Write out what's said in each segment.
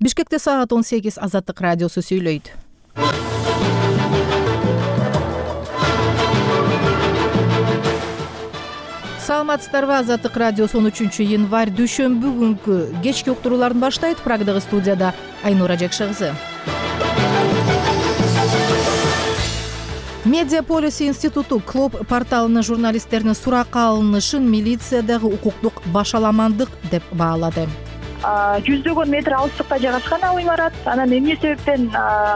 Бишкекте саат 18 Азаттык радиосу сүйлөйт. Саламатсыздарбы? Азаттык радиосу 13 январь дүйшөмбү күнкү кечки уктурууларын баштайт. Прагдагы студияда Айнура Жакшыгызы. Медиаполис институту Клоп порталынын журналисттеринин суракка алынышын милициядагы укуктук башаламандык деп баалады. Жүздөгөн метр алыстыкта жайгашкан ал имарат. Анан эмне себептен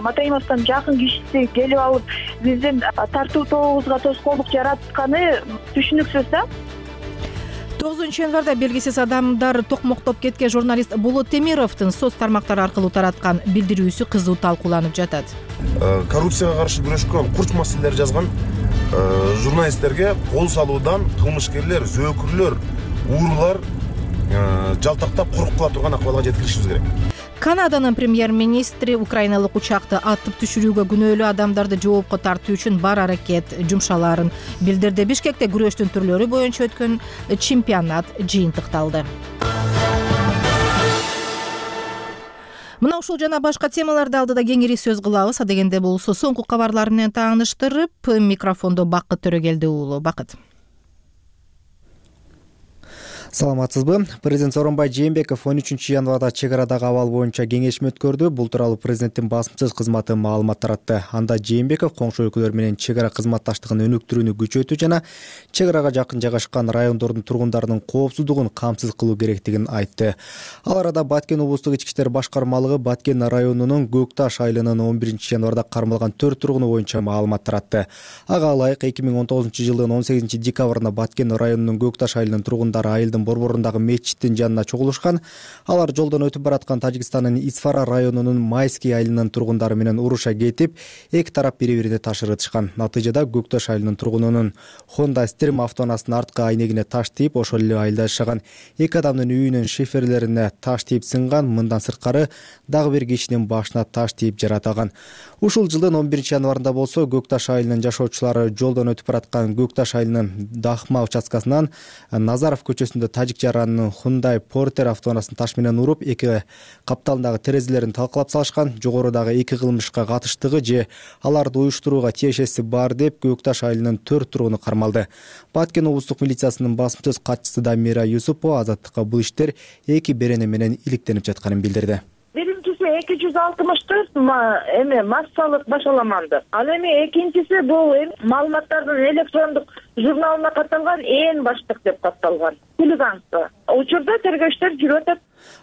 Матаимовдун жакын кишиси келип алып биздин тартуу тобубузга тоскоолдук жаратканы түшүнүксүз да. 9 январда белгисиз адамдар токмоктоп кеткен журналист Болот Темировдун соц тармактары аркылуу тараткан билдирүүсү кызуу талкууланып жатат. Коррупцияга каршы күрөшкөн курч маселелер жазган журналисттерге кол салуудан кылмышкерлер, зөөкүрлөр, уурулар жалтактап коруп кала турган акыбалга жеткиришибиз керек. Канаданын премьер-министри украиналык учакты атып түшүрүүгө күнөөлүү адамдарды жоопко тартуу үчүн бар аракет жумшалаарын билдирди. Бишкекте күрөштүн түрлөрү боюнча өткөн чемпионат жыйынтыкталды. Мына ушул жана башка темаларды алдыда кеңири сөз кылабыз. Адегенде болсо соңку кабарлар менен тааныштырып, микрофондо Бакыт Төрөгелди уулу. Бакыт. Саламатсызбы? Президент Сооронбай Жээнбеков 13 январда чек арадагы абал боюнча кеңешме өткөрдү. Бул тууралуу президенттин басымсыз кызматы маалымат таратты. Анда Жээнбеков коңшу өлкөлөр менен чек ара кызматташтыгын өнүктүрүүнү күчөтүү жана чек арага жакын жайгашкан райондордун тургундарынын коопсуздугун камсыз кылуу керектигин айтты. Ал арада Баткен облустук ички иштер башкармалыгы Баткен районунун Көк Таш айылынын 11 январда кармалган 4 тургуну боюнча маалымат таратты. Ага ылайык 2019 жылдын 18 декабрында Баткен районунун Көк Таш айылынын тургундары айылдын борборундагы мечиттин жанына чогулушкан. Алар жолдон өтүп бараткан Тажикстандын Исфара районунун Майский айылынын тургундары менен уруша кетип, эки тарап бири-бирине таш ырытышкан. Натыйжада Көк Таш айылынын тургунунун Honda Stream автоунаасынын арткы айнегине таш тийип, ошол эле айылда жашаган эки адамдын үйүнүн шиферлерине таш тийип сынган. Мындан сырткары дагы бир кишинин башына таш тийип жаратылган. Ушул жылдын 11 январында болсо Көк Таш айылынын жашоочулары жолдон өтүп бараткан Көк Таш айылынын Дахма участкасынан Назаров көчөсүндө тажик жаранынын Hyundai Porter автоунаасын таш менен уруп, эки капталындагы терезелерин талкалап салышкан. Жогорудагы эки кылмышка катыштыгы же аларды уюштурууга тиешеси бар деп Көк Таш айылынын 4 тургуну кармалды. Баткен облустук милициясынын басымсыз катчысы Дамира Юсупова Азаттыкка бул иштер эки берене менен иликтенип жатканын билдирди. 264 массалык башаламандык. Ал эми экинчиси бул маалыматтардын электрондук журналына катталган ээн баштык деп катталган. Хулиганство. Учурда тергөөчтөр жүрүп атат.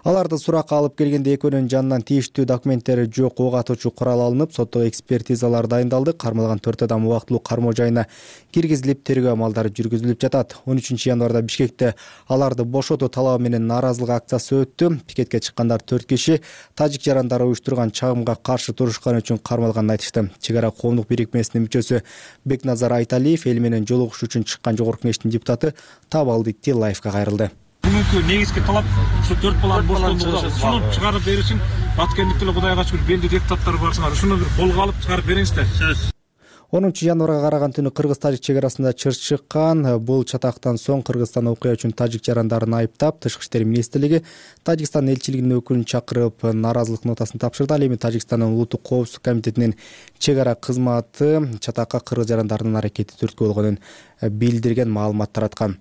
Аларды суракка алып келгенде экөөнүн жанынан тийиштүү документтери жок ок атуучу курал алынып, соттук экспертизалар дайындалды. Кармалган 4 адам убактылуу кармоо жайына киргизилип, тергөө амалдары жүргүзүлүп жатат. 13 январда Бишкекте аларды бошотуу талабы менен нааразылык акциясы өттү. Пикетке чыккандар 4 киши тажик жарандары уюштурган чагымга каршы турушканы үчүн кармалганын айтышты. Чек ара коомдук бирикмесинин мүчөсү Бекназар Айталиев эл менен жолугушуу үчүн чыккан жогорку кеңештин депутаты Табалдыкти лайфка кайрылды. Бүгүнкү негизги талап ушу 4 баланы боштоолугун чыгарып беришин. Баткендиктер Кудайга шүгүр белди депутаттар барсыңар. Ушуну бир колго алып чыгарып бериңиздер. 10 январга караган түнү кыргыз-тажик чек арасында чыр чыккан. Бул чатактан соң Кыргызстан окуя үчүн тажик жарандарын айыптап, Тышкы иштер министрлиги Тажикстан элчилигинин өкүлүн чакырып нааразылык нотасын тапшырды. Ал эми Тажикстандын улуттук коопсуздук комитетинин чек ара кызматы чатакка кыргыз жарандарынын аракети түрткү болгонун билдирген, маалымат тараткан.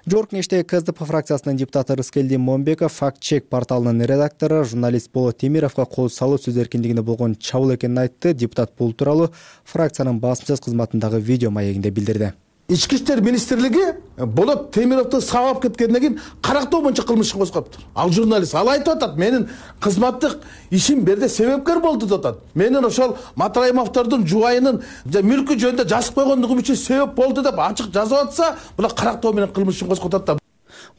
Жогорку кеңештеги КСДП фракциясынын депутаты Рыскелдин Момбеков факт-чек порталынын редактору журналист Болот Темировго кол салуу сөз эркиндигине болгон чабуул экенин айтты. Депутат бул тууралуу фракциянын басымсыз кызматындагы видео маегинде билдирди. Ички иштер министрлиги Болот Темировду сабап кеткенден кийин карактоо боюнча кылмыш ишин козгоптур. Ал журналист ал айтып атат, менин кызматтык ишим берде себепкер болду деп атат. Менин ошол Матраимовдордун жубайынын мүлкү жөнүндө жазып койгондугум үчүн себеп болду деп ачык жазып атса, була карактоо менен кылмыш ишин козготот да.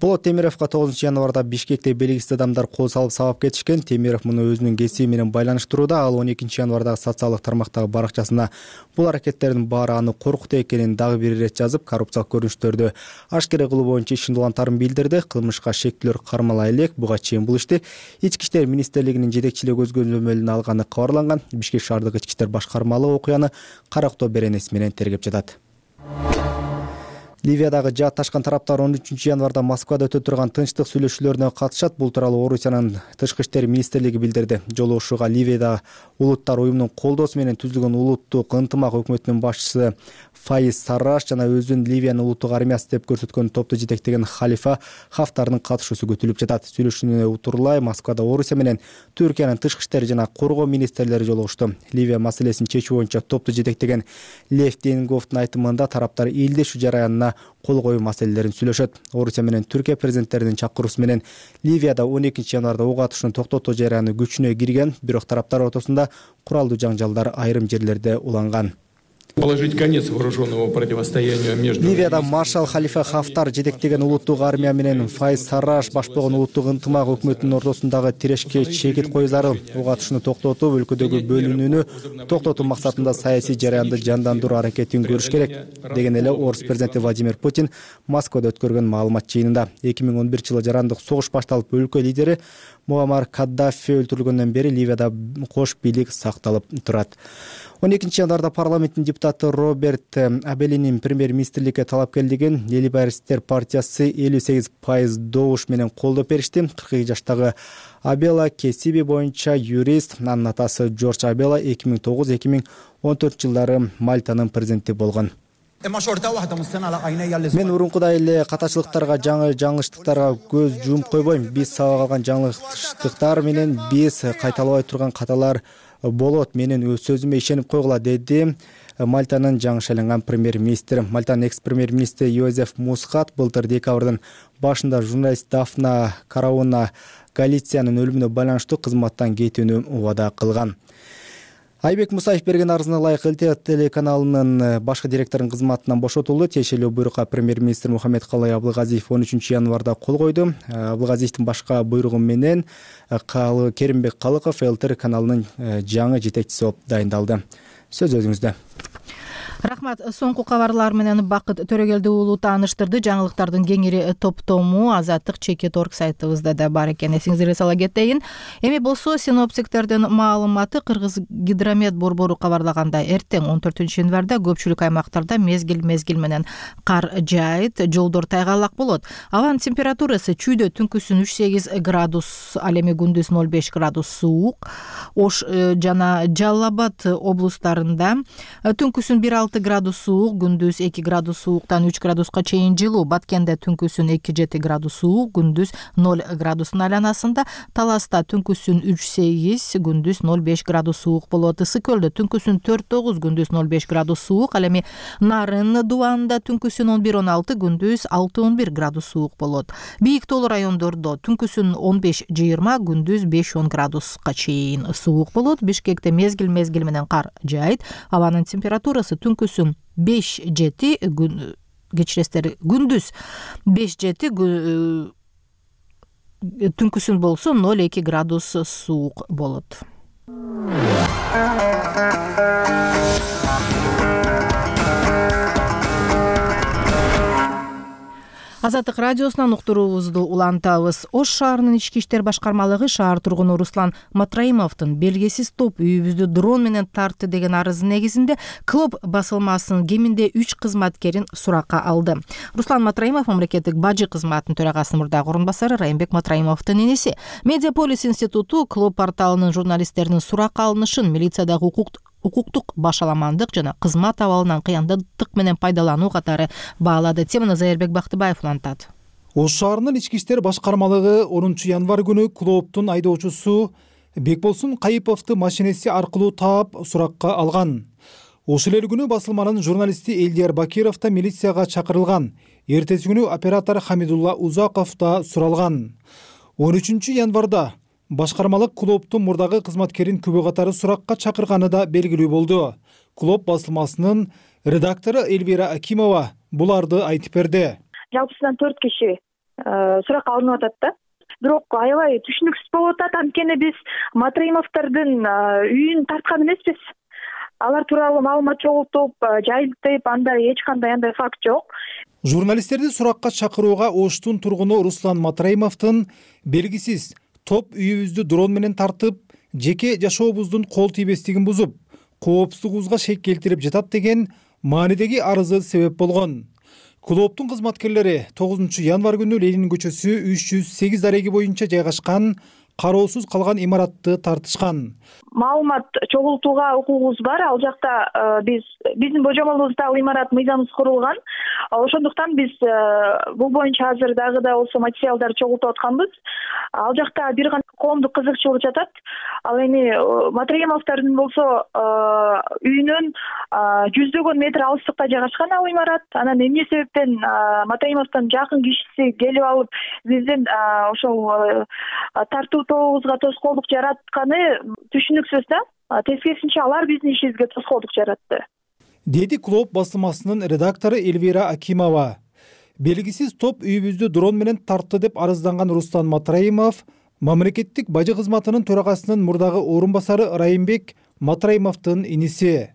Болот Темировго 9 январда Бишкекте белгисиз адамдар кол салып сабап кетишкен. Темиров муну өзүнүн кесиби менен байланыштырууда. Ал 12 январда социалдык тармактагы баракчасына бул аракеттердин баары аны коркутуу экенин дагы бир ирет жазып, коррупциялык көрүнүштөрдү ашкере кылуу боюнча ишин улантарын билдирди. Кылмышка шектүүлөр кармала элек. Буга чейин бул ишти Ички иштер министрлигинин жетекчилиги көзөмөлүнө алганы кабарланган. Бишкек шаардык ички иштер башкармалыгы окуяны карактоо беренеси менен тергеп жатат. Ливиядагы жаатташкан тараптар 13 январда Москвада өтө турган тынчтык сүйлөшүүлөрүнө катышат. Бул тууралуу Орусиянын тышкы иштер министрлиги билдирди. Жолугушууга Ливияда улуттар уюмунун колдоосу менен түзүлгөн улуттук ынтымак өкмөтүнүн башчысы Фаиз Сарраш жана өзүн Ливиянын улуттук армиясы деп көрсөткөн топту жетектеген Халифа Хафтардын катышуусу күтүлүп жатат. Сүйлөшүүнү утурлай Москвада Орусия менен Түркиянын тышкы иштер жана коргоо министрлери жолугушту. Ливия маселесин чечүү боюнча топту жетектеген Лев Денговдун айтымында тараптар элдешүү жараянына кол коюу маселелерин сүйлөшөт. Орусия менен Түркия президенттеринин чакыруусу менен Ливияда 12 январда ок атышууну токтотуу жараяны күчүнө кирген, бирок тараптар ортосунда куралдуу жаңжалдар айрым жерлерде уланган. Положить конец вооруженному противостоянию между... Ливияда маршал Халифа Хафтар жетектеген улуттук армия менен Фаиз Сарраш башпаган улуттук ынтымак өкмөтүнүн ортосундагы тирешке чекит кою зарыл. Ок атышууну токтотуп, өлкөдөгү бөлүнүүнү токтотуу максатында саясий жараянды жандандыруу аракетин көрүш керек деген эле Орус президенти Владимир Путин Москвада өткөргөн маалымат жыйынында. 2011-жылы жарандык согуш башталып, өлкө лидери Муаммар Каддафи өлтүрүлгөндөн бери Ливияда кош бийлик сакталып турат. 12 январда парламенттин депутаты Роберт Абелинин премьер-министрликке талапкерлигин Лейбористтер партиясы 58% добуш менен колдоп беришти. 42 жаштагы Абела кесиби боюнча юрист, анын атасы Джордж Абела 2009-2014 жылдары Мальтанын президенти болгон. Мен урункудай эле катачылыктарга, жаңылыштыктарга көз жумуп койбойм. Биз сабак алган жаңылыштыктар менен биз кайталабай турган каталар болот. Менин өз сөзүмө ишенип койгула, деди Мальтанын жаңы шайланган премьер-министр. Мальтанын экс-премьер-министри Йозеф Мусхат былтыр декабрдын башында журналист Дафна Карауна Галициянын өлүмүнө байланыштуу кызматтан кетүүнү убада кылган. Айбек Мусаев берген арызына ылайык ЛТ телеканалынын башкы директорунун кызматынан бошотулду. Тиешелүү буйрукка премьер-министр Мухаммедкалый Абылгазиев 13 январда кол койду. Абылгазиевдин башка буйругу менен Керимбек Калыков ЛТ каналынын жаңы жетекчиси болуп дайындалды. Сөз өзүңүздө. Рахмат. Соңку кабарлар менен Бакыт Төрөгелди уулу тааныштырды. Жаңылыктардын кеңири топтому Азаттык Чекит.орг сайтыбызда да бар экен. Эсиңизге сала кетейин. Эми болсо синоптиктердин маалыматы. Кыргыз гидромет борбору кабарлагандай, эртең 14 январда көпчүлүк аймактарда мезгил менен кар жаайт, жолдор тайгалак болот. Абанын температурасы чүйдө түнкүсүн 3-8 градус, ал эми күндүз 0,5 градус суук. Ош жана Жалал Абад облустарында түнкүсүн 1,6 градус суук, күндүз 2 градус сууктан 3 градуска чейин жылуу. Баткенде түнкүсүн 2-7 градус суук, күндүз 0 градустун айланасында. Таласта түнкүсүн 3-8, күндүз 0,5 градус суук болот. Ысык Көлдө түнкүсүн 4-9, күндүз 0,5 градус суук. Ал эми Нарын Дубанда түнкүсүн 11-16, күндүз 6-11 градус суук болот. Бийик тоолуу райондордо түнкүсүн 15-20, күндүз 5-10 градуска чейин суук болот. Бишкекте мезгил менен кар жаайт. Абанын температурасы түнкүсүн 5-7, кечиресиздер, күндүз 5-7, түнкүсүн болсо 0,2 градус суук болот. Азаттык радиосунан уктуруубузду улантабыз. Ош шаарынын ички иштер башкармалыгы шаар тургуну Руслан Матраимовдун белгисиз топ үйүбүздү дрон менен тартты деген арызы негизинде Клоп басылмасынын кеминде 3 кызматкерин суракка алды. Руслан Матраимов мамлекеттик бажы кызматынын төрагасынын мурдагы орун басары, Райымбек Матраимовдун энеси. Медиаполис институту Клоп порталынын журналисттеринин суракка алынышын милициядагы укуктук башаламандык жана кызмат абалынан кыяндык менен пайдалануу катары баалады. Теманы Зайырбек Бактыбаев улантат. Ош шаарынын ички иштер башкармалыгы 10 январ күнү Клооптун айдоочусу Бекболсун Кайыповду машинеси аркылуу таап суракка алган. Ошол эле күнү басылманын журналисти Элдияр Бакиров да милицияга чакырылган. Эртеси күнү оператор Хамидулла Узаков да суралган. 13 январда башкармалык Клооптун мурдагы кызматкерин күбө катары суракка чакырганы да белгилүү болду. Клоп басылмасынын редактору Эльвира Акимова буларды айтып берди. Жалпысынан 4 киши суракка алынып атат да. Бирок аябай түшүнүксүз болуп атат. Анткени биз Матраимовдордун үйүн тарткан эмеспиз. Алар тууралуу маалымат чогултуп, жайылтып, андай эч кандай андай факт жок. Журналисттерди суракка чакырууга Оштун тургуну Руслан Матраимовдун белгисиз топ үйүбүздү дрон менен тартып, жеке жашообуздун кол тийбестигин бузуп, коопсуздугубузга шек келтирип жатат деген маанидеги арызы себеп болгон. Клооптун кызматкерлери 9 январь күнү Ленин көчөсү 308 дареги боюнча жайгашкан кароосуз калган имаратты тартышкан. Маалымат чогултууга укугубуз бар. Ал жакта биздин божомолубузда ал имарат мыйзамсыз курулган. Ошондуктан биз бул боюнча азыр дагы да болсо материалдарды чогултуп атканбыз. Ал жакта бир гана коомдук кызыкчылык жатат. Ал эми Матраимовдордун болсо үйүнөн жүздөгөн метр алыстыкта жайгашкан ал имарат. Анан эмне себептен Матраимовдун жакын кишиси келип алып биздин ошол тартуу тобубузга тоскоолдук жаратканы түшүнүксүз да. Тескерисинче алар биздин ишибизге тоскоолдук жаратты, деди Клооп басылмасынын редактору Эльвира Акимова. Белгисиз топ үйүбүздү дрон менен тартты деп арызданган Рустам Матраимов мамлекеттик бажы кызматынын төрагасынын мурдагы орун басары Райымбек Матраимовдун иниси.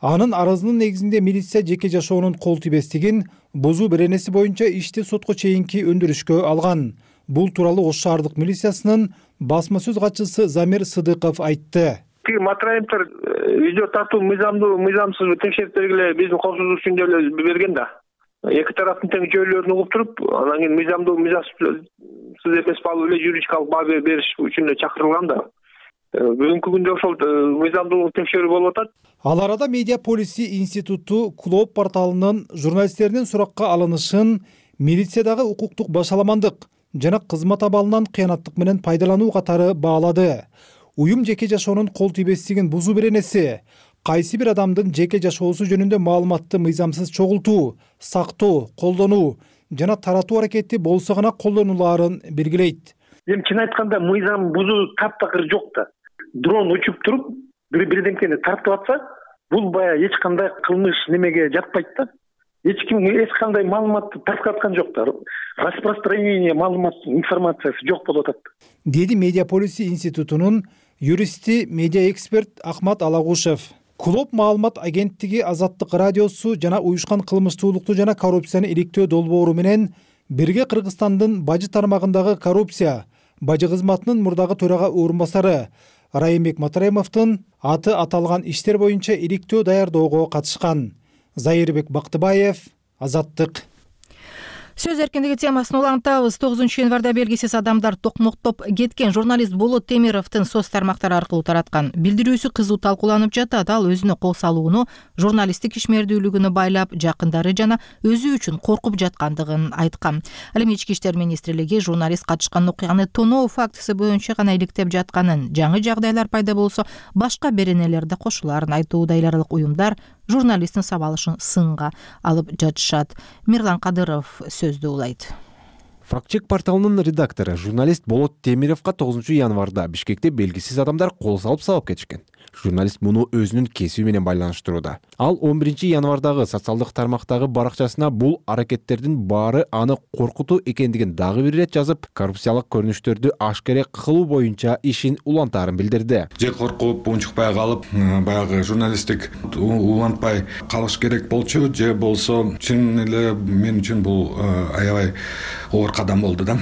Анын арызынын негизинде милиция жеке жашоонун кол тийбестигин бузуу беренеси боюнча ишти сотко чейинки өндүрүшкө алган. Бул тууралуу Ош шаардык милициясынын басма сөз катчысы Замир Сыдыков айтты. Матраимовдор видео тартуу мыйзамсыз текшерип бергиле, биздин коопсуздук үчүн деп эле берген да. Эки тараптын тең жөөлөрүн угуп туруп, анан кийин мыйзамсыз эмес баалуу эле юридикалык баа бериш үчүн эле чакырылган да. Бүгүнкү күндө ошол мыйзамдуулук текшерүү болуп атат. Ал арада Медиа полиси институту Клооп порталынын журналисттердин суракка алынышын милициядагы укуктук башаламандык жана кызмат абалынан кыянаттык менен пайдалануу катары баалады. Уюм жеке жашоонун кол тийбестигин бузуу беренеси, кайсы бир адамдын жеке жашоосу жөнүндө маалыматты мыйзамсыз чогултуу, сактоо, колдонуу жана таратуу аракети болсо гана колдонулаарын белгилейт. Эми чын айтканда мыйзам бузуу таптакыр жок да. Дрон учуп туруп, бирдемкени тартып атса, бул баягы эч кандай кылмыш немеге жатпайт да. Эч ким эч кандай маалыматты тартып аткан жок да. Распространение маалыматтын информациясы жок болуп атат, деди Медиа полиси институтунун юристи, медиа эксперт Ахмат Алагушев. Клооп маалымат агенттиги Азаттык радиосу жана уюшкан кылмыштуулукту жана коррупцияны иликтөө долбоору менен бирге Кыргызстандын бажы тармагындагы коррупция бажы кызматынын мурдагы төрага орун басары Райымбек Матраимовдун аты аталган иштер боюнча иликтөө даярдоого катышкан. Зайырбек Бактыбаев, Азаттык. Сөз эркиндиги темасын улантабыз. 9 январда белгисиз адамдар токмоктоп кеткен. Журналист Болот Темировдун соц тармактары аркылуу тараткан билдирүүсү кызуу талкууланып жатат. Ал өзүнө кол салууну журналисттик ишмердүүлүгүнө байлап, жакындары жана өзү үчүн коркуп жаткандыгын айткан. Ал эми Ички иштер министрлиги журналист катышкан окуяны тоноо фактысы боюнча гана иликтеп жатканын, жаңы жагдайлар пайда болсо башка беренелер да кошулаарын айтууда. Эл аралык уюмдар журналисттин сабалышын сынга алып жатышат. Мирлан Кадыров сөздү улайт. Фактчек порталынын редактору журналист Болот Темировго 9 январда Бишкекте белгисиз адамдар кол салып сабап кетишкен. Журналист муну өзүнүн кесиби менен байланыштырууда. Ал 11 январдагы социалдык тармактагы баракчасына бул аракеттердин баары аны коркутуу экендигин дагы бир ирет жазып, коррупциялык көрүнүштөрдү ашкере кылуу боюнча ишин улантаарын билдирди. Же коркуп, унчукпай калып, баягы журналисттик улантпай калыш керек болчу, же болсо чын эле мен үчүн бул аябай оор кадам болду да.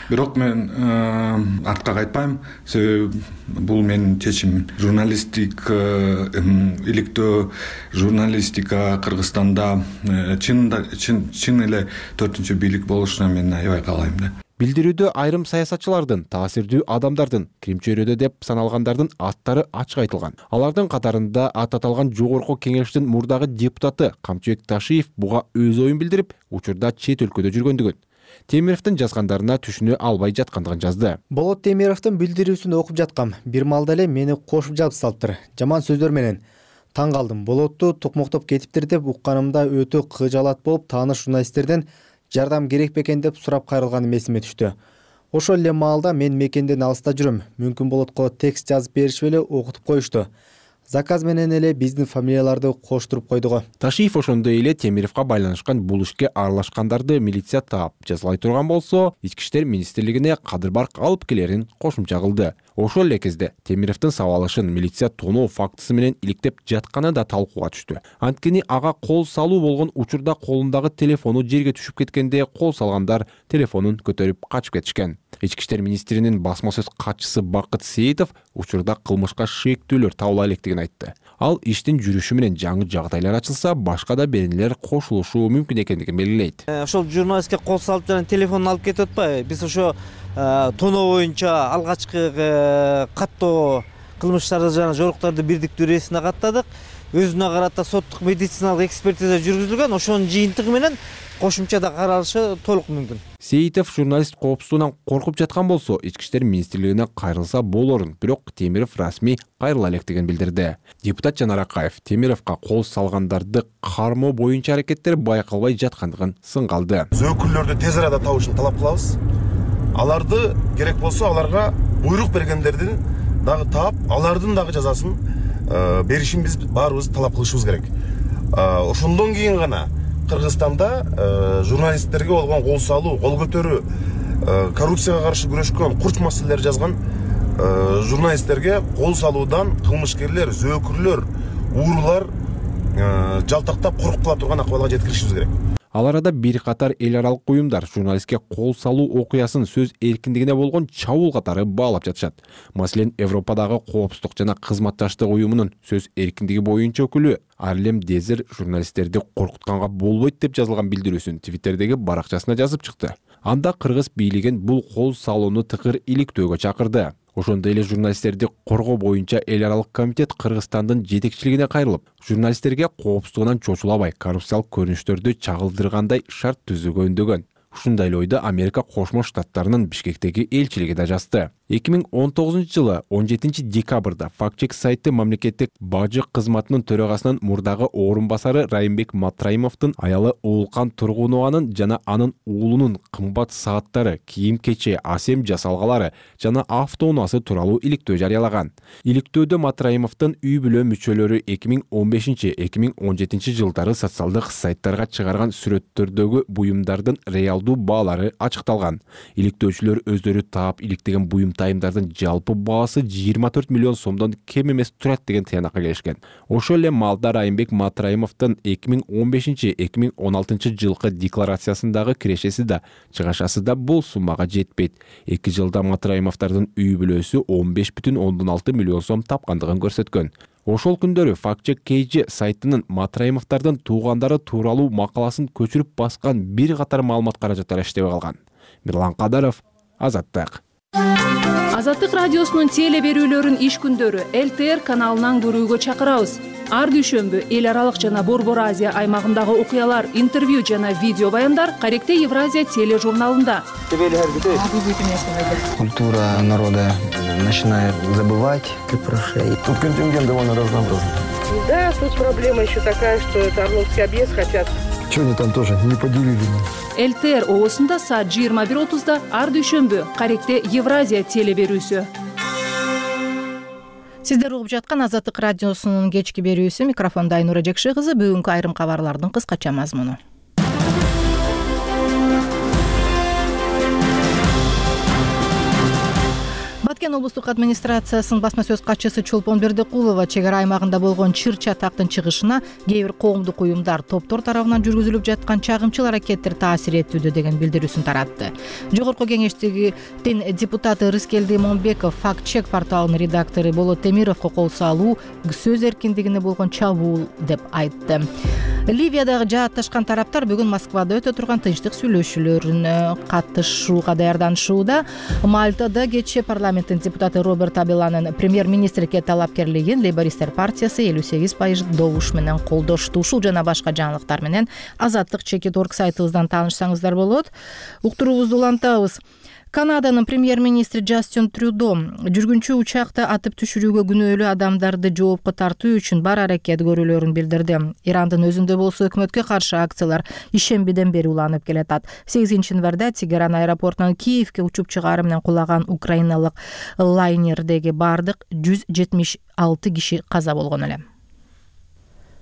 Бирок мен артка кайтпайм, себеби бул менин чечимим. Журналистик иликтөө, журналистика Кыргызстанда чын эле 4-ч бийлик болушуна мен аябай каалайм да. Билдирүүдө айрым саясатчылардын, таасирдүү адамдардын, кирим чөйрөдө деп саналгандардын аттары ачык айтылган. Алардын катарында ат аталган жогорку кеңештин мурдагы депутаты Камчыбек Ташиев буга өз оюн билдирип, учурда чет өлкөдө жүргөндүгүн, Темировдун жазгандарына түшүнө албай жаткандыгын жазды. Болот Темировдун билдирүүсүн окуп жаткам. Бир малда эле мени кошуп жабыстырыптыр. Жаман сөздөр менен. Таң калдым. Болотту токмоктоп кетиптир деп укканымда өтө кыжаалат болуп, тааныш журналисттерден жардам керек бекен деп сурап кайрылганым эсиме түштү. Ошол эле маалда мен мекенден алыста жүрөм. Мүмкүн Болотко текст жазып беришип эле окутуп коюшту. Заказ менен эле биздин фамилияларды коштуруп койдуго. Ташиев ошондой эле Темировго байланышкан бул ишке аралашкандарды милиция таап жазалай турган болсо, Ички иштер министрлигине кадыр барк алып келерин кошумча кылды. Ошол эле кезде Темировдун сабалышын милиция тоноо фактысы менен иликтеп жатканы да талкууга түштү. Анткени ага кол салуу болгон учурда колундагы телефону жерге түшүп кеткенде кол салгандар телефонун көтөрүп качып кетишкен. Ички иштер министринин басма сөз катчысы Бакыт Сейитов учурда кылмышка шектүүлөр табыла электигин экендигин айтты. Ал иштин жүрүшү менен жаңы жагдайлар ачылса, башка да беренелер кошулушу мүмкүн экендигин белгилейт. Ошол журналистке кол салып жана телефонун алып кетип атпайбы? Биз ошо тоноо боюнча алгачкы каттоо кылмыштарды жана жоруктарды бирдиктүү рейсине каттадык. Өзүнө карата соттук медициналык экспертиза жүргүзүлгөн. Ошонун жыйынтыгы менен кошумчада каралышы толук мүмкүн. Сейитов журналист коопсуздугунан коркуп жаткан болсо, Ички иштер министрлигине кайрылса болорун, бирок Темиров расмий кайрыла электигин билдирди. Депутат Жанар Акаев Темировго кол салгандарды кармоо боюнча аракеттер байкалбай жаткандыгын сынгалды. Зөөкүрлөрдү тез арада табышын талап кылабыз. Аларды керек болсо аларга буйрук бергендердин дагы таап, алардын дагы жазасын беришин биз баарыбыз талап кылышыбыз керек. Ошондон кийин гана Кыргызстанда журналисттерге болгон кол салуу, кол көтөрүү, коррупцияга каршы күрөшкөн, курч маселелер жазган журналисттерге кол салуудан кылмышкерлер, зөөкүрлөр, уурулар жалтактап коруп кала турган акыбалга жеткиришибиз керек. Ал арада бир катар эл аралык уюмдар журналистке кол салуу окуясын сөз эркиндигине болгон чабуул катары баалап жатышат. Маселен, Европадагы коопсуздук жана кызматташтык уюмунун сөз эркиндиги боюнча өкүлү Арлем Дезер журналисттерди коркутканга болбойт деп жазылган билдирүүсүн Твиттердеги баракчасына жазып чыкты. Анда кыргыз бийлигин бул кол салууну тыкыр иликтөөгө чакырды. Ошондой эле журналисттерди коргоо боюнча эл аралык комитет Кыргызстандын жетекчилигине кайрылып, журналисттерге коопсуздугунан чочулабай коррупциялык көрүнүштөрдү чагылдыргандай шарт түзүүгө үндөгөн. Ушундай эле ойду Америка Кошмо Штаттарынын Бишкектеги элчилиги да жазды. 2019-жылы 17 декабрда фактчек сайты мамлекеттик бажы кызматынын төрагасынын мурдагы орун басары Райымбек Матраимовдун аялы Уулкан Тургунованын жана анын уулунун кымбат сааттары, кийим-кече, асем жасалгалары жана автоунаасы тууралуу иликтөө жарыялаган. Иликтөөдө Матраимовдун үй бүлө мүчөлөрү 2015-2017 жылдары социалдык сайттарга чыгарган сүрөттөрдөгү буюмдардын реалдуу баалары ачыкталган. Иликтөөчүлөр өздөрү таап иликтеген буюм тайымдардын жалпы баасы 24 миллион сомдон кем эмес турат деген тыянакка келишкен. Ошол эле маалда Райымбек Матраимовдун 2015-2016 жылкы декларациясындагы кирешеси да, чыгашасы да бул суммага жетпейт. 2 жылда Матраимовдардын үй бүлөсү 15,6 миллион сом тапкандыгын көрсөткөн. Ошол күндөрү фактчек KG сайтынын Матраимовдардын туугандары тууралуу макаласын көчүрүп баскан бир катар маалымат каражаттары иштебей калган. Мирлан Кадаров, Азаттык. Азаттык радиосунун теле берүүлөрүн иш күндөрү ЛТР каналынан көрүүгө чакырабыз. Ар дүйшөмбү эл аралык жана Борбор Азия аймагындагы окуялар, интервью жана видео баяндар Каректе Евразия тележурналында. Культура народа начинает забывать, как про шеи. Тут контингент довольно разнообразный. Да, тут проблема еще такая, что это Орловский объезд хотят. Что они там тоже не поделили? ЛТР оосунда саат 21:30 ар дүйшөмбү Каректе Евразия теле берүүсү. Сиздер угуп жаткан Азаттык радиосунун кечки берүүсү. Микрофондо Айнура Жекши кызы. Бүгүнкү айрым кабарлардын кыскача мазмуну. Баткен облустук администрациясынын басма сөз катчысы Чолпон Бердикулова чек ара аймагында болгон чыр-чатактын чыгышына кээ бир коомдук уюмдар, топтор тарабынан жүргүзүлүп жаткан чагымчыл аракеттер таасир этүүдө деген билдирүүсүн таратты. Жогорку кеңештигин депутаты Рыскелди Момбеков факт-чек порталынын редактору Болот Темировго кол салуу сөз эркиндигине болгон чабуул деп айтты. Ливиядагы жаатташкан тараптар бүгүн Москвада өтө турган тынчтык сүйлөшүүлөрүнө катышууга даярданышууда. Мальтада кечээ парламенттин депутаты Роберт Абеланын премьер-министрге талапкерлигин Лейбористтер партиясы 58% добуш менен колдошту. Ушул жана башка жаңылыктар менен Азаттык чекит.org сайтыбыздан таанышсаңыздар болот. Уктуруубузду улантабыз. Канаданын премьер-министри Джастин Трюдо жүргүнчү учакты атып түшүрүүгө күнөөлүү адамдарды жоопко тартуу үчүн бар аракет көрүүлөрүн билдирди. Ирандын өзүндө болсо өкмөткө каршы акциялар ишембиден бери уланып келатат. 8-январда Тегеран аэропортунан Киевке учуп чыгаары менен кулаган украиналык лайнердеги бардык 176 киши каза болгон эле.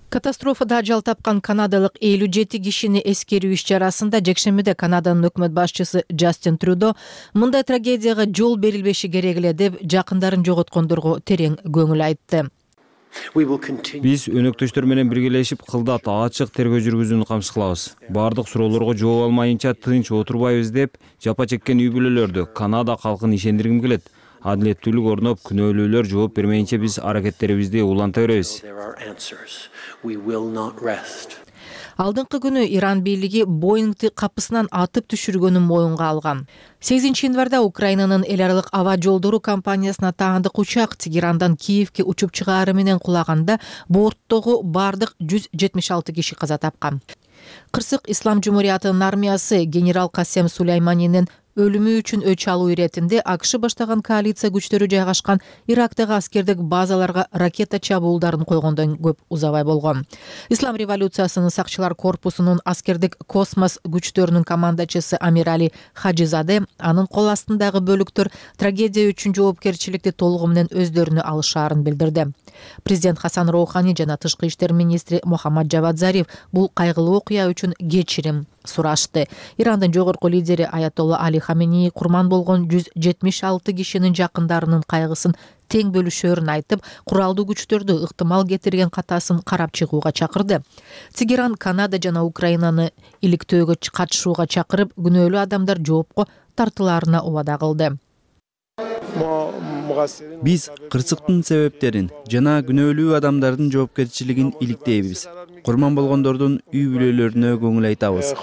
Катастрофада ажал тапкан канадалык 57 кишини эскерүү иш-чарасында жекшембиде Канаданын өкмөт башчысы Джастин Трюдо мындай трагедияга жол берилбеши керек эле деп жакындарын жоготкондорго терең көңүл айтты. Биз өнөктөштөр менен биргелешип кылдат ачык тергөө жүргүзүүнү камсыз кылабыз. Бардык суроолорго жооп алмайынча тынч отурбайбыз деп жапа чеккен үй бүлөлөрдү, Канада калкын ишендиргим келет. адилеттүүлүк орноп, күнөөлүүлөр жооп бермейинче биз аракеттерибизди уланта беребиз. Алдыңкы күнү Иран бийлиги Боингти капысынан атып түшүргөнүн моюнга алган. 8 январда Украинанын эл аралык аба жолдору компаниясына таандык учак Тегерандан Киевге учуп чыгаары менен кулаганда борттогу бардык 176 киши каза тапкан. Кырсык Ислам Жумуриятынын армиясы генерал Касем Сулейманинин өлүмү үчүн өч алуу иретинде АКШ баштаган коалиция күчтөрү жайгашкан Ирактагы аскердик базаларга ракета чабуулдарын койгондон көп узабай болгон. Ислам революциясынын сакчылар корпусунун аскердик космос күчтөрүнүн командачысы Амирали Хаджизаде анын кол астындагы бөлүктөр трагедия үчүн жоопкерчиликти толугу менен өздөрүнө алышаарын билдирди. Президент Хасан Роухани жана тышкы иштер министри Мухаммад Жавад Зариф бул кайгылуу окуя үчүн кечирим сурашты. Ирандын жогорку лидери Аятолла Али Хаменеи курман болгон 176 кишинин жакындарынын кайгысын тең бөлүшөөрүн айтып, куралдуу күчтөрдү ыктымал кетирген катасын карап чыгууга чакырды. Тегеран Канада жана Украинаны иликтөөгө катышууга чакырып, күнөөлүү адамдар жоопко тартылаарына убада кылды. Биз кырсыктын себептерин жана күнөөлүү адамдардын жоопкерчилигин иликтейбиз. Курман болгондордун үй бүлөлөрүнө көңүл айтабыз.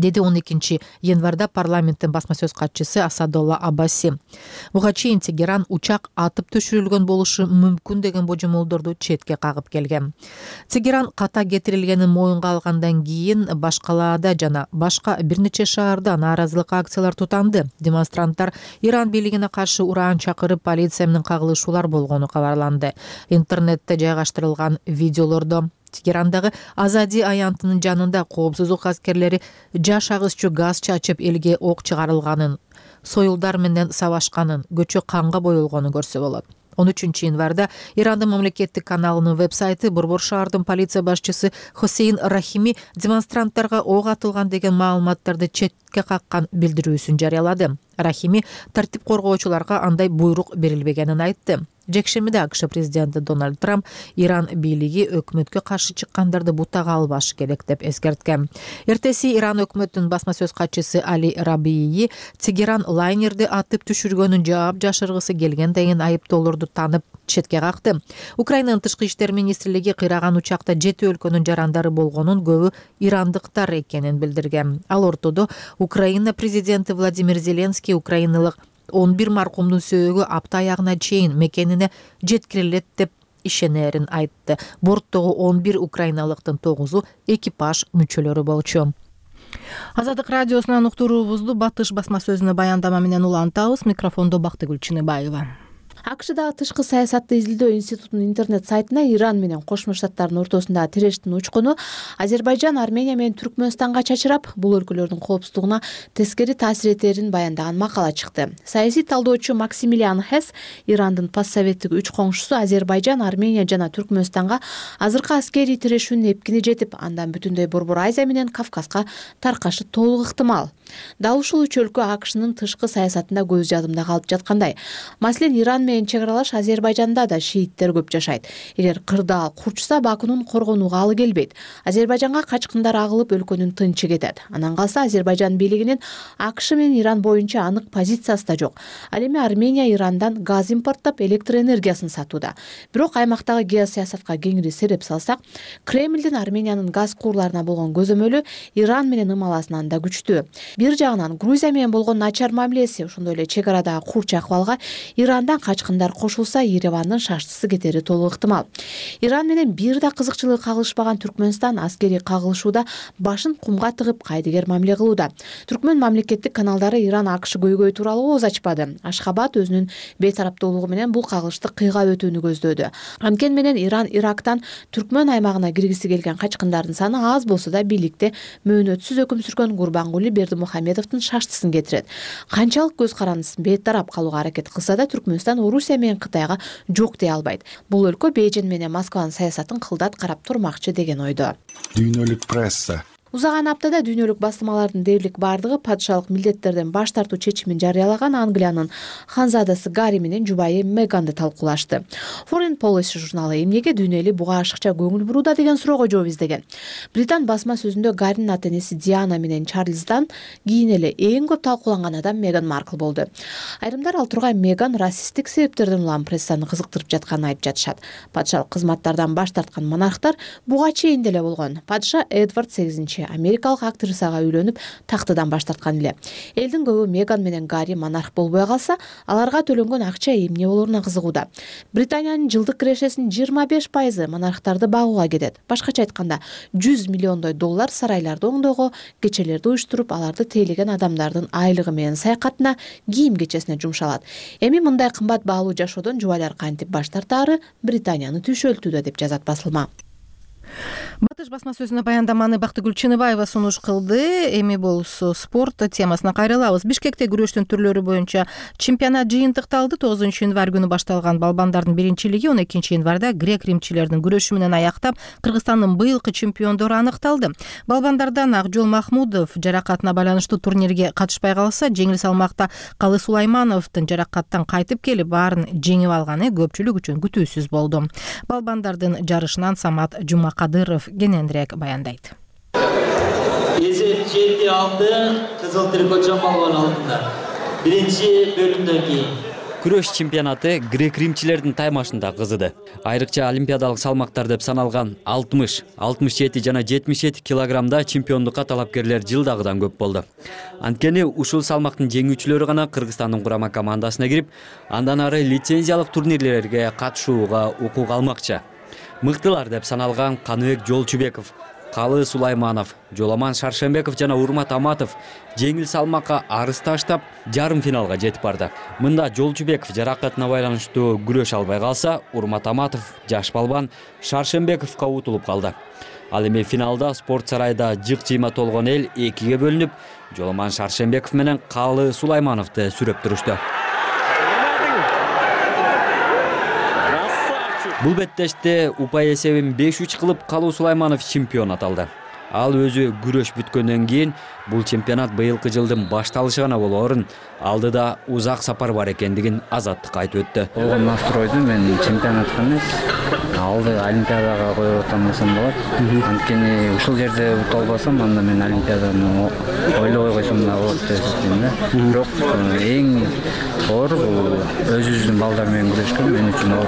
Деди 12 январда парламенттин басма сөз катчысы Асадолла Аббаси. Буга чейин Тегеран учак атып түшүрүлгөн болушу мүмкүн деген божомолдорду четке кагып келген. Тегеран ката кетирилгенин моюнга алгандан кийин Башкалаада жана башка бир нече шаарда нааразылык акциялар тутанды. Демонстранттар Иран бийлигине каршы ураан чакырып, полиция менен кагылышуулар болгону кабарланды. Интернетте жайгаштырылган видеолордо Тегерандагы Азади аянтынын жанында коопсуздук аскерлери жаш агысчу газ чачып элге ок чыгарылганын, союлдар менен сабашканын, көчө канга боелгонун көрсө болот. 13 январда Ирандын мамлекеттик каналынын веб-сайты Борбор шаардын полиция башчысы Хосейн Рахими демонстранттарга ок атылган деген маалыматтарды четке каккан билдирүүсүн жарыялады. Рахими тартип коргоочуларга андай буйрук берилбегенин айтты. Жекшемиде АКШ президенти Дональд Трамп Иран бийлиги өкмөткө каршы чыккандарды бутага албашы керек деп эскерткен. Эртеси Иран өкмөтүнүн басма сөз катчысы Али Рабии Тегеран лайнерди атып түшүргөнүн жаап жашыргысы келген деген айыптоолорду танып четке какты. Украинанын тышкы иштер министрлиги кыйраган учакта 7 өлкөнүн жарандары болгонун, көбү ирандыктар экенин билдирген. Ал ортодо Украина президенти Владимир Зеленский украиналык 11 маркумдун сөөгү апта аягына чейин мекенине жеткирилет деп ишенерин айтты. Борттогу 11 украиналыктын 9-у экипаж мүчөлөрү болчу. Азаттык радиосунан уктуруубузду Батыш басма сөзүнө баяндама менен улантабыз. Микрофондо Бактыгүл Чыныбаева. АКШдагы тышкы саясатты изилдөө институтунун интернет сайтына Иран менен Кошмо Штаттардын ортосундагы тирештин учкуну Азербайжан, Армения менен Түркмөнстанга чачырап, бул өлкөлөрдүн коопсуздугуна тескери таасир этерин баяндаган макала чыкты. Саясий талдоочу Максимилиан Хесс Ирандын постсоветтик үч коңшусу Азербайжан, Армения жана Түркмөнстанга азыркы аскерий тирешүүнүн эпкини жетип, андан бүтүндөй Борбор Азия менен Кавказга таркашы толук ыктымал. Дал ушул үч өлкө АКШнын тышкы саясатында көз жадымда калып жаткандай. Маселен, Иран менен чек аралаш Азербайжанда да шииттер көп жашайт. Эгер кырдаал курчса, Бакунун коргонууга алы келбейт. Азербайжанга качкындар агылып, өлкөнүн тынчы кетет. Анан калса Азербайжан бийлигинин АКШ менен Иран боюнча анык позициясы да жок. Ал эми Армения Ирандан газ импорттоп, электр энергиясын сатууда. Бирок аймактагы геосаясатка кеңири сереп салсак, Кремлдин Армениянын газ куурларына болгон көзөмөлү Иран менен ымаласынан да күчтүү. Бир жагынан Грузия менен болгон начар мамилеси, ошондой эле чек арадагы курч акыбалга Ирандан качкындар кошулса, Еревандын шаштысы кетери толук ыктымал. Иран менен бир да кызыкчылыгы кагылышпаган Түркмөнстан аскерий кагылышууда башын кумга тыгып кайдыгер мамиле кылууда. Түркмөн мамлекеттик каналдары Иран АКШ көйгөй тууралуу ооз ачпады. Ашхабад өзүнүн бейтараптуулугу менен бул кагылышты кыйгап өтүүнү көздөөдү. Анткени менен Иран Ирактан Түркмөн аймагына киргиси келген качкындардын саны аз болсо да бийликте мөөнөтсүз өкүм сүргөн Гурбангули Бердимухамедовдун шаштысын кетирет. Канчалык көз карандысыз бейтарап калууга аракет кылса да Түркмөнстан Орусия менен Кытайга жок дей албайт. Бул өлкө Бейжин менен Москванын саясатын кылдат карап турмакчы деген ойдо. Дүйнөлүк пресса Узаган аптада дүйнөлүк басылмалардын дээрлик бардыгы падышалык милдеттерден баш тартуу чечимин жарыялаган Англиянын ханзадасы Гарри менен жубайы Меганды талкуулашты. Foreign Policy журналы эмнеге дүйнө эли буга ашыкча көңүл бурууда деген суроого жооп издеген. Британ басма сөзүндө Гарринин ата-энеси Диана менен Чарльздан кийин эле эң көп талкууланган адам Меган Маркл болду. Айрымдар ал тургай Меган расисттик себептерден улам прессаны кызыктырып жатканын айтып жатышат. Падышалык кызматтардан баш тарткан монархтар буга чейин деле болгон. Падыша Эдвард 8 америкалык актрисага үйлөнүп тактыдан баш тарткан эле. Элдин көбү Меган менен Гарри монарх болбой калса, аларга төлөнгөн акча эмне болоруна кызыгууда. Британиянын жылдык кирешесинин 25% монархтарды багууга кетет. Башкача айтканда, 100 миллиондой доллар сарайларды оңдоого, кечелерди уюштуруп, аларды тейлеген адамдардын айлыгы менен саякатына, кийим кечесине жумшалат. Эми мындай кымбат баалуу жашоодон жубайлар кантип баш тартаары Британияны түйшөлтүүдө деп жазат басылма. Батыш басма сөзүнө баяндаманы Бактыгүл Чыныбаева сунуш кылды. Эми болсо спорт темасына кайрылабыз. Бишкекте күрөштүн түрлөрү боюнча чемпионат жыйынтыкталды. 9 январь күнү башталган балбандардын биринчилиги 12 январда грек-римчилердин күрөшү менен аяктап, Кыргызстандын быйылкы чемпиондору аныкталды. Балбандардан Акжол Махмудов жаракатына байланыштуу турнирге катышпай калса, жеңил салмакта Калы Сулаймановдун жаракаттан кайтып келип баарын жеңип алганы көпчүлүк үчүн күтүүсүз болду. Балбандардын жарышынан Самат Жумакадыров кененирээк баяндайт. Эсеп 7-6 Кызыл Трикот Жамбалгон алдында. Биринчи бөлүмдөн кийин күрөш чемпионаты грек-римчилердин таймашында кызыды. Айрыкча олимпиадалык салмактар деп саналган 60, 67 жана 77 килограммда чемпиондукка талапкерлер жылдагыдан көп болду. Анткени ушул салмактын жеңүүчүлөрү гана Кыргызстандын курама командасына кирип, андан ары лицензиялык турнирлерге катышууга укук алмакчы. Мыктылар деп саналган Каныбек Жолчубеков, Калы Сулайманов, Жоламан Шаршембеков жана Урмат Аматов жеңил салмакка арыз таштап, жарым финалга жетип барды. Мында Жолчубеков жаракатына байланыштуу күрөш албай калса, Урмат Аматов жаш балбан Шаршембековго утулуп калды. Ал эми финалда спорт сарайда жык-жыйма толгон эл экиге бөлүнүп, Жоламан Шаршембеков менен Калы Сулаймановду сүрөп турушту. Бул беттеште упай эсебин 5-3 кылып Калуу Сулайманов чемпион аталды. Ал өзү күрөш бүткөндөн кийин бул чемпионат быйылкы жылдын башталышы гана болоорун, алдыда узак сапар бар экендигин Азаттыкка айтып өттү. Болгон настройду мен чемпионатка эмес, алды олимпиадага коюп атсам болот. Анткени ушул жерде ута албасам, анда мен олимпиаданы ойлобой койсом да болот деп эсептейм да. Бирок эң оор бул өзүбүздүн балдар менен күрөшкөн, мен үчүн оор.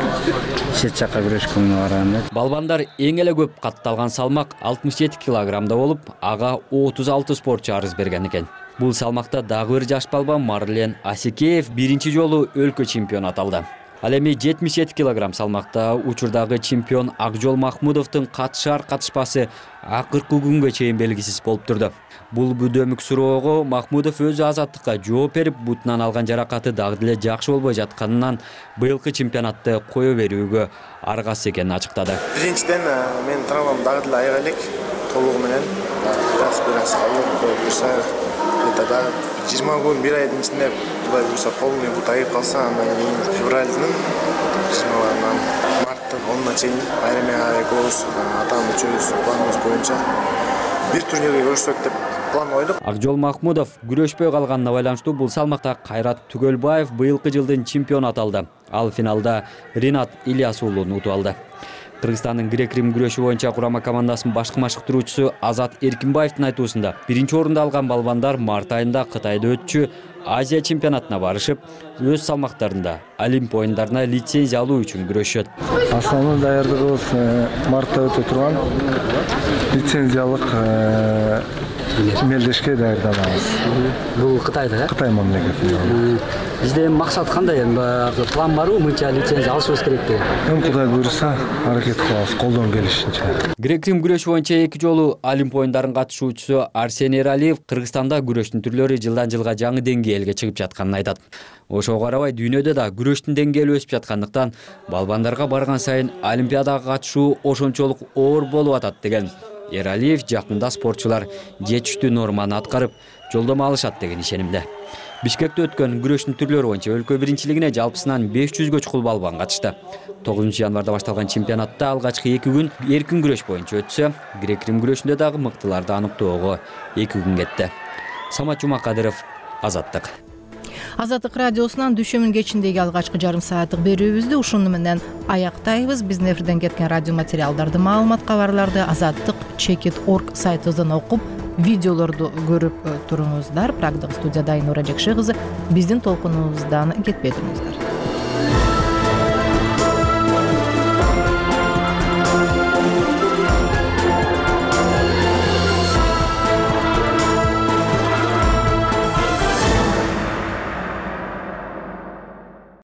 Чет жакка күрөшкөнгө караганда. Балбандар эң эле көп катталган салмак 67 килограммда болуп, ага 36 спортчу арыз берген экен. Бул салмакта дагы бир жаш балбан Марлен Асикеев биринчи жолу өлкө чемпиону аталды. Ал эми 77 килограмм салмакта учурдагы чемпион Акжол Махмудовдун катышар-катышпасы акыркы күнгө чейин белгисиз болуп турду. Бул бүдөмүк суроого Махмудов өзү Азаттыкка жооп берип, бутунан алган жаракаты дагы деле жакшы болбой жатканынан быйылкы чемпионатты кое берүүгө аргасыз экенин ачыктады. Биринчиден менин травмам дагы деле айыга элек, толугу менен бираз коюп турса, да 20 күн, 1 айдын ичинде Кудай буйруса полный бут айып калса, андан кийин февралдын 20-нан марттын 10-на чейин айрым экөөбүз атам үчөөбүз планыбыз боюнча бир турнирге көрүшсөк деп план койдук. Акжол Махмудов күрөшпөй калганына байланыштуу бул салмакта Кайрат Түгөлбаев быйылкы жылдын чемпиону аталды. Ал финалда Ринат Ильяс уулун утуп алды. Кыргызстандын грек-рим күрөшү боюнча курама командасынын башкы машыктыруучусу Азат Эркинбаевдин айтуусунда, биринчи орунду алган балбандар март айында Кытайда өтчү Азия чемпионатына барышып, өз салмактарында Олимп оюндарына лицензия алуу үчүн күрөшөт. Основной даярдыгыбыз мартта өтө турган лицензиялык мелдешке даярданабыз. Бул Кытайда, Кытай мамлекетинде. Бизде максат кандай? План барбы, мынча лицензия алышыбыз керек деп? Кудай буйруса, аракет кылабыз колдон келишинче. Грек-рим күрөшү боюнча 2 жолу Олимп оюндарынын катышуучусу Арсений Эралиев Кыргызстанда күрөштүн түрлөрү жылдан жылга жаңы деңгээлге чыгып жатканын айтат. Ошого карабай дүйнөдө да күрөштүн деңгээли өсүп жаткандыктан балбандарга барган сайын олимпиадага катышуу ошончолук оор болуп атат деген Эралиев жакында спортчулар жетиштүү норманы аткарып, жолдомо алышат деген ишенимде. Бишкекте өткөн күрөштүн түрлөрү боюнча өлкө биринчилигине жалпысынан 500гө чукул балбан катышты. 9 январда башталган чемпионатта алгачкы 2 күн эркин күрөш боюнча өтсө, грек-рим күрөшүндө дагы мыктыларды аныктоого 2 күн кетти. Самат Жумакадыров, Азаттык. Азаттык радиосунан дүйшөмүн кечиндеги алгачкы жарым сааттык берүүбүздү ушуну менен аяктайбыз. Биздин эфирден кеткен радио материалдарды, маалымат кабарларды azattik.org сайтыбыздан окуп, видеолорду көрүп туруңуздар. Прагдагы студияда Айнура Жекше кызы. Биздин толкунубуздан кетпей туруңуздар.